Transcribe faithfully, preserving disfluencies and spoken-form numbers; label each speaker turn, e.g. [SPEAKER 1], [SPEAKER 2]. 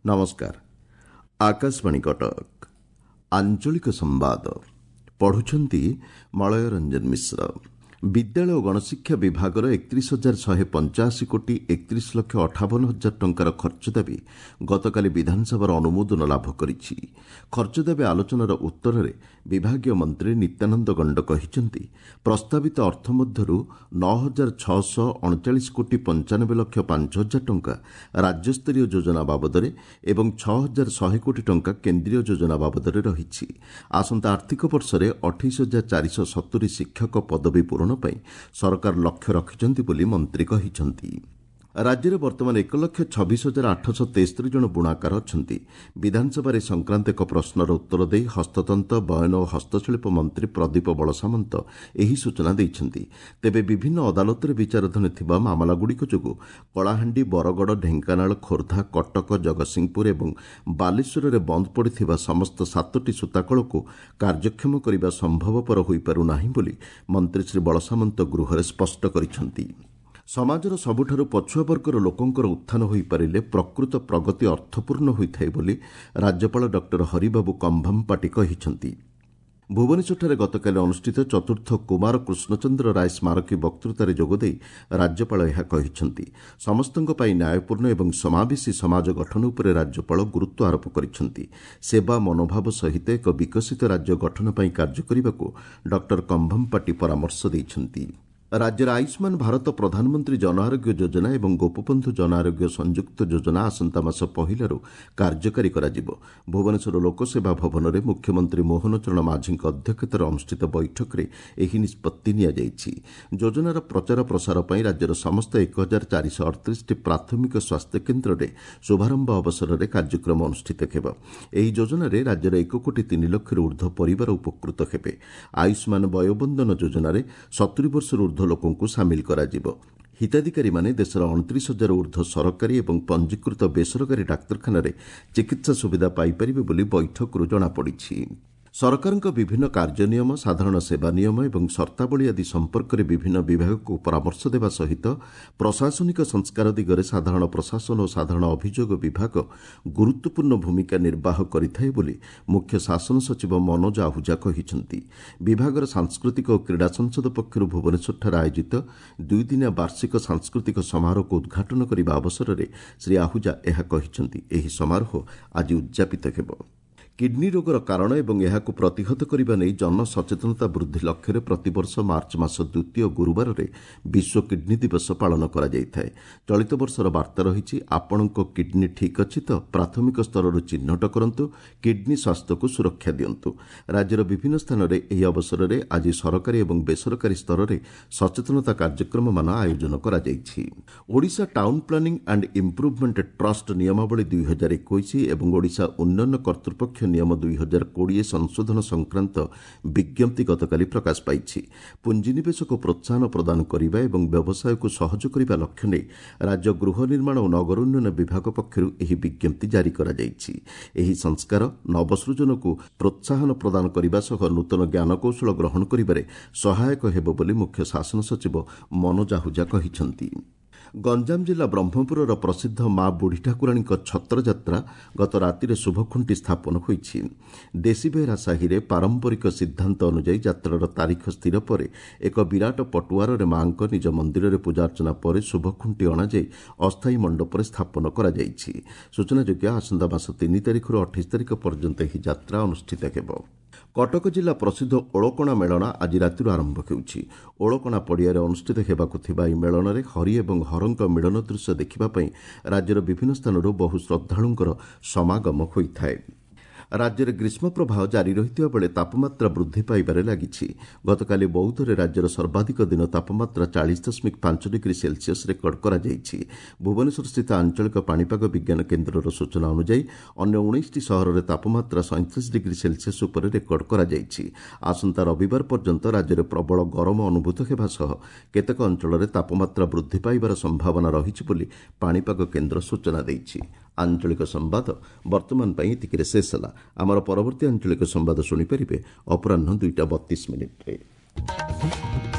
[SPEAKER 1] ନମସ୍କାର ଆକାଶବାଣୀ କଟକ ଆଞ୍ଚଳିକ ସମ୍ବାଦ ପଢୁଛନ୍ତି ମଳୟ ରଞ୍ଜନ ମିଶ୍ର ବିଦ୍ୟାଳୟ ଓ ଗଣଶିକ୍ଷା ବିଭାଗର ଏକତିରିଶ ହଜାର ଶହେ ପଞ୍ଚାଅଶୀ କୋଟି ଏକତିରିଶ ଲକ୍ଷ ଅଠାବନ ହଜାର ଟଙ୍କାର ଖର୍ଚ୍ଚ ଦାବି ଗତକାଲି ବିଧାନସଭାର ଅନୁମୋଦନ ଲାଭ କରିଛି ଖର୍ଚ୍ଚ ଦାବି ଆଲୋଚନାର ଉତ୍ତରରେ ବିଭାଗୀୟ ମନ୍ତ୍ରୀ ନିତ୍ୟାନନ୍ଦ ଗଣ୍ଡ କହିଛନ୍ତି ପ୍ରସ୍ତାବିତ ଅର୍ଥ ମଧ୍ୟରୁ ନଅ ହଜାର ଛଅଶହ ଅଣଚାଳିଶ କୋଟି ପଞ୍ଚାନବେ ଲକ୍ଷ ପାଞ୍ଚ ହଜାର ଟଙ୍କା ରାଜ୍ୟସ୍ତରୀୟ ଯୋଜନା ବାବଦରେ ଏବଂ ଛଅ ହଜାର ଶହେ କୋଟି ଟଙ୍କା କେନ୍ଦ୍ରୀୟ ଯୋଜନା ବାବଦରେ ରହିଛି ଆସନ୍ତା ଆର୍ଥିକ ବର୍ଷରେ ଅଠେଇଶ ହଜାର ଚାରିଶହ ସତୁରି ଶିକ୍ଷକ ପଦବୀ ପୂରଣ ପାଇଁ ସରକାର ଲକ୍ଷ୍ୟ ରଖିଛନ୍ତି ବୋଲି ମନ୍ତ୍ରୀ କହିଛନ୍ତି ରାଜ୍ୟରେ ବର୍ତ୍ତମାନ ଏକ ଲକ୍ଷ ଛବିଶ ହଜାର ଆଠଶହ ତେସ୍ତରୀ ଜଣ ବୁଣାକାର ଅଛନ୍ତି ବିଧାନସଭାରେ ଏ ସଂକ୍ରାନ୍ତ ଏକ ପ୍ରଶ୍ନର ଉତ୍ତର ଦେଇ ହସ୍ତତନ୍ତ ବୟନ ଓ ହସ୍ତଶିଳ୍ପ ମନ୍ତ୍ରୀ ପ୍ରଦୀପ ବଳସାମନ୍ତ ଏହି ସୂଚନା ଦେଇଛନ୍ତି ତେବେ ବିଭିନ୍ନ ଅଦାଲତରେ ବିଚାରାଧୀନ ଥିବା ମାମଲାଗୁଡ଼ିକ ଯୋଗୁଁ କଳାହାଣ୍ଡି ବରଗଡ଼ ଢେଙ୍କାନାଳ ଖୋର୍ଦ୍ଧା କଟକ ଜଗତସିଂହପୁର ଏବଂ ବାଲେଶ୍ୱରରେ ବନ୍ଦ ପଡ଼ିଥିବା ସମସ୍ତ ସାତଟି ସୂତାକଳକୁ କାର୍ଯ୍ୟକ୍ଷମ କରିବା ସମ୍ଭବପର ହୋଇପାରୁନାହିଁ ବୋଲି ମନ୍ତ୍ରୀ ଶ୍ରୀ ବଳସାମନ୍ତ ଗୃହରେ ସ୍ପଷ୍ଟ କରିଛନ୍ତି ସମାଜର ସବୁଠାରୁ ପଛୁଆ ବର୍ଗର ଲୋକଙ୍କର ଉତ୍ଥାନ ହୋଇପାରିଲେ ପ୍ରକୃତ ପ୍ରଗତି ଅର୍ଥପୂର୍ଣ୍ଣ ହୋଇଥାଏ ବୋଲି ରାଜ୍ୟପାଳ ଡକ୍ଟର ହରିବାବୁ କମ୍ଭମପାଟି କହିଛନ୍ତି ଭୁବନେଶ୍ୱରଠାରେ ଗତକାଲି ଅନୁଷ୍ଠିତ ଚତୁର୍ଥ କୁମାର କୃଷ୍ଣଚନ୍ଦ୍ର ରାୟ ସ୍ମାରକୀ ବକ୍ତୃତାରେ ଯୋଗଦେଇ ରାଜ୍ୟପାଳ ଏହା କହିଛନ୍ତି ସମସ୍ତଙ୍କ ପାଇଁ ନ୍ୟାୟପୂର୍ଣ୍ଣ ଏବଂ ସମାବେଶୀ ସମାଜ ଗଠନ ଉପରେ ରାଜ୍ୟପାଳ ଗୁରୁତ୍ୱ ଆରୋପ କରିଛନ୍ତି ସେବା ମନୋଭାବ ସହିତ ଏକ ବିକଶିତ ରାଜ୍ୟ ଗଠନ ପାଇଁ କାର୍ଯ୍ୟ କରିବାକୁ ଡକ୍ଟର କମ୍ଭମପାଟି ପରାମର୍ଶ ଦେଇଛନ୍ତି ରାଜ୍ୟରେ ଆୟୁଷ୍ମାନ ଭାରତ ପ୍ରଧାନମନ୍ତ୍ରୀ ଜନଆରୋଗ୍ୟ ଯୋଜନା ଏବଂ ଗୋପବନ୍ଧୁ ଜନଆରୋଗ୍ୟ ସଂଯୁକ୍ତ ଯୋଜନା ଆସନ୍ତା ମାସ ପହିଲାରୁ କାର୍ଯ୍ୟକାରୀ କରାଯିବ ଭୁବନେଶ୍ୱର ଲୋକସେବା ଭବନରେ ମୁଖ୍ୟମନ୍ତ୍ରୀ ମୋହନ ଚରଣ ମାଝୀଙ୍କ ଅଧ୍ୟକ୍ଷତାରେ ଅନୁଷ୍ଠିତ ବୈଠକରେ ଏହି ନିଷ୍ପତ୍ତି ନିଆଯାଇଛି ଯୋଜନାର ପ୍ରଚାର ପ୍ରସାର ପାଇଁ ରାଜ୍ୟର ସମସ୍ତ ଏକ ହଜାର ଚାରିଶହ ଅଠତିରିଶଟି ପ୍ରାଥମିକ ସ୍ୱାସ୍ଥ୍ୟକେନ୍ଦ୍ରରେ ଶୁଭାରମ୍ଭ ଅବସରରେ କାର୍ଯ୍ୟକ୍ରମ ଅନୁଷ୍ଠିତ ହେବ ଏହି ଯୋଜନାରେ ରାଜ୍ୟର ଏକ କୋଟି ତିନି ଲକ୍ଷରୁ ଉର୍ଦ୍ଧ୍ୱ ପରିବାର ଉପକୃତ ହେବେ ଆୟୁଷ୍ମାନ ବୟୋବନ୍ଦନ ଯୋଜନାରେ ସତୁରି ବର୍ଷରୁ ଉର୍ଦ୍ଧ୍ୱ ଲୋକଙ୍କୁ ସାମିଲ କରାଯିବ ହିତାଧିକାରୀମାନେ ଦେଶର ଅଣତିରିଶ ହଜାର ଉର୍ଦ୍ଧ୍ୱ ସରକାରୀ ଏବଂ ପଞ୍ଜୀକୃତ ବେସରକାରୀ ଡାକ୍ତରଖାନାରେ ଚିକିତ୍ସା ସୁବିଧା ପାଇପାରିବେ ବୋଲି ବୈଠକରୁ ଜଣାପଡ଼ିଛି ସରକାରଙ୍କ ବିଭିନ୍ନ କାର୍ଯ୍ୟ ନିୟମ ସାଧାରଣ ସେବା ନିୟମ ଏବଂ ସର୍ତ୍ତାବଳୀ ଆଦି ସମ୍ପର୍କରେ ବିଭିନ୍ନ ବିଭାଗକୁ ପରାମର୍ଶ ଦେବା ସହିତ ପ୍ରଶାସନିକ ସଂସ୍କାର ଦିଗରେ ସାଧାରଣ ପ୍ରଶାସନ ଓ ସାଧାରଣ ଅଭିଯୋଗ ବିଭାଗ ଗୁରୁତ୍ୱପୂର୍ଣ୍ଣ ଭୂମିକା ନିର୍ବାହ କରିଥାଏ ବୋଲି ମୁଖ୍ୟ ଶାସନ ସଚିବ ମନୋଜ ଆହୁଜା କହିଛନ୍ତି ବିଭାଗର ସାଂସ୍କୃତିକ ଓ କ୍ରୀଡ଼ା ସଂସଦ ପକ୍ଷରୁ ଭୁବନେଶ୍ୱରଠାରେ ଆୟୋଜିତ ଦୁଇଦିନିଆ ବାର୍ଷିକ ସାଂସ୍କୃତିକ ସମାରୋହକୁ ଉଦ୍ଘାଟନ କରିବା ଅବସରରେ ଶ୍ରୀ ଆହୁଜା ଏହା କହିଛନ୍ତି ଏହି ସମାରୋହ ଆଜି ଉଦ୍ଯାପିତ ହେବ କିଡ୍ନୀ ରୋଗର କାରଣ ଏବଂ ଏହାକୁ ପ୍ରତିହତ କରିବା ନେଇ ଜନସଚେତନତା ବୃଦ୍ଧି ଲକ୍ଷ୍ୟରେ ପ୍ରତିବର୍ଷ ମାର୍ଚ୍ଚ ମାସ ଦ୍ୱିତୀୟ ଗୁରୁବାରରେ ବିଶ୍ୱ କିଡ୍ନୀ ଦିବସ ପାଳନ କରାଯାଇଥାଏ ଚଳିତ ବର୍ଷର ବାର୍ତ୍ତା ରହିଛି ଆପଣଙ୍କ କିଡ୍ନୀ ଠିକ୍ ଅଛି ତ ପ୍ରାଥମିକ ସ୍ତରରୁ ଚିହ୍ନଟ କରନ୍ତୁ କିଡ୍ନୀ ସ୍ୱାସ୍ଥ୍ୟକୁ ସୁରକ୍ଷା ଦିଅନ୍ତୁ ରାଜ୍ୟର ବିଭିନ୍ନ ସ୍ଥାନରେ ଏହି ଅବସରରେ ଆଜି ସରକାରୀ ଏବଂ ବେସରକାରୀ ସ୍ତରରେ ସଚେତନତା କାର୍ଯ୍ୟକ୍ରମମାନ ଆୟୋଜନ କରାଯାଇଛି Odisha town planning and improvement trust ନିୟମାବଳୀ ଦୁଇ ହଜାର ଏକୋଇଶ ଏବଂ ଓଡ଼ିଶା ଉନ୍ନୟନ କର୍ତ୍ତୃପକ୍ଷ ନିୟମ ଦୁଇ ହଜାର କୋଡ଼ିଏ ସଂଶୋଧନ ସଂକ୍ରାନ୍ତ ବିଜ୍ଞପ୍ତି ଗତକାଲି ପ୍ରକାଶ ପାଇଛି ପୁଞ୍ଜିନିବେଶକୁ ପ୍ରୋତ୍ସାହନ ପ୍ରଦାନ କରିବା ଏବଂ ବ୍ୟବସାୟକୁ ସହଜ କରିବା ଲକ୍ଷ୍ୟ ନେଇ ରାଜ୍ୟ ଗୃହ ନିର୍ମାଣ ଓ ନଗର ଉନ୍ନୟନ ବିଭାଗ ପକ୍ଷରୁ ଏହି ବିଜ୍ଞପ୍ତି ଜାରି କରାଯାଇଛି ଏହି ସଂସ୍କାର ନବସୃଜନକୁ ପ୍ରୋତ୍ସାହନ ପ୍ରଦାନ କରିବା ସହ ନୂତନ ଜ୍ଞାନକୌଶଳ ଗ୍ରହଣ କରିବାରେ ସହାୟକ ହେବ ବୋଲି ମୁଖ୍ୟ ଶାସନ ସଚିବ ମନୋଜ ଆହୁଜା କହିଛନ୍ତି ଗଞ୍ଜାମ ଜିଲ୍ଲା ବ୍ରହ୍ମପୁରର ପ୍ରସିଦ୍ଧ ମା ବୁଢ଼ୀ ଠାକୁରାଣୀଙ୍କ ଛତ୍ରଯାତ୍ରା ଗତ ରାତିରେ ଶୁଭଖୁଣ୍ଟି ସ୍ଥାପନ ହୋଇଛି ଦେଶୀବେହେରା ସାହିରେ ପାରମ୍ପରିକ ସିଦ୍ଧାନ୍ତ ଅନୁଯାୟୀ ଯାତ୍ରାର ତାରିଖ ସ୍ଥିର ପରେ ଏକ ବିରାଟ ପଟୁଆରରେ ମାଙ୍କ ନିଜ ମନ୍ଦିରରେ ପୂଜାର୍ଚ୍ଚନା ପରେ ଶୁଭଖୁଣ୍ଟି ଅଣାଯାଇ ଅସ୍ଥାୟୀ ମଣ୍ଡପରେ ସ୍ଥାପନ କରାଯାଇଛି ସୂଚନାଯୋଗ୍ୟ ଆସନ୍ତା ମାସ ତିନି ତାରିଖରୁ ଅଠେଇଶ ତାରିଖ ପର୍ଯ୍ୟନ୍ତ ଏହି ଯାତ୍ରା ଅନୁଷ୍ଠିତ ହେବ କଟକ ଜିଲ୍ଲା ପ୍ରସିଦ୍ଧ ଓଳକଣା ମେଳଣ ଆଜି ରାତିରୁ ଆରମ୍ଭ ହେଉଛି ଓଳକଣା ପଡ଼ିଆରେ ଅନୁଷ୍ଠିତ ହେବାକୁ ଥିବା ଏହି ମେଳଣରେ ହରି ଏବଂ ହରଙ୍କ ମିଳନ ଦୃଶ୍ୟ ଦେଖିବା ପାଇଁ ରାଜ୍ୟର ବିଭିନ୍ନ ସ୍ଥାନରୁ ବହୁ ଶ୍ରଦ୍ଧାଳୁଙ୍କର ସମାଗମ ହୋଇଥାଏ ରାଜ୍ୟରେ ଗ୍ରୀଷ୍ମ ପ୍ରବାହ ଜାରି ରହିଥିବା ବେଳେ ତାପମାତ୍ରା ବୃଦ୍ଧି ପାଇବାରେ ଲାଗିଛି ଗତକାଲି ବୌଦ୍ଧରେ ରାଜ୍ୟର ସର୍ବାଧିକ ଦିନ ତାପମାତ୍ରା ଚାଳିଶ ଦଶମିକ ପାଞ୍ଚ ଡିଗ୍ରୀ ସେଲସିୟସ୍ ରେକର୍ଡ କରାଯାଇଛି ଭୁବନେଶ୍ୱରସ୍ଥିତ ଆଞ୍ଚଳିକ ପାଣିପାଗ ବିଜ୍ଞାନ କେନ୍ଦ୍ରର ସୂଚନା ଅନୁଯାୟୀ ଅନ୍ୟ ଉଣେଇଶଟି ସହରରେ ତାପମାତ୍ରା ସଇଁତିରିଶ ଡିଗ୍ରୀ ସେଲସିୟସ୍ ଉପରେ ରେକର୍ଡ କରାଯାଇଛି ଆସନ୍ତା ରବିବାର ପର୍ଯ୍ୟନ୍ତ ରାଜ୍ୟରେ ପ୍ରବଳ ଗରମ ଅନୁଭୂତ ହେବା ସହ କେତେକ ଅଞ୍ଚଳରେ ତାପମାତ୍ରା ବୃଦ୍ଧି ପାଇବାର ସମ୍ଭାବନା ରହିଛି ବୋଲି ପାଣିପାଗ କେନ୍ଦ୍ର ସୂଚନା ଦେଇଛି ଆଞ୍ଚଳିକ ସମ୍ବାଦ ବର୍ତ୍ତମାନ ପାଇଁ ଏତିକିରେ ଶେଷ ହେଲା ଆମର ପରବର୍ତ୍ତୀ ଆଞ୍ଚଳିକ ସମ୍ବାଦ ଶୁଣିପାରିବେ ଅପରାହ୍ନ ଦୁଇଟା ବତିଶ ମିନିଟ୍ରେ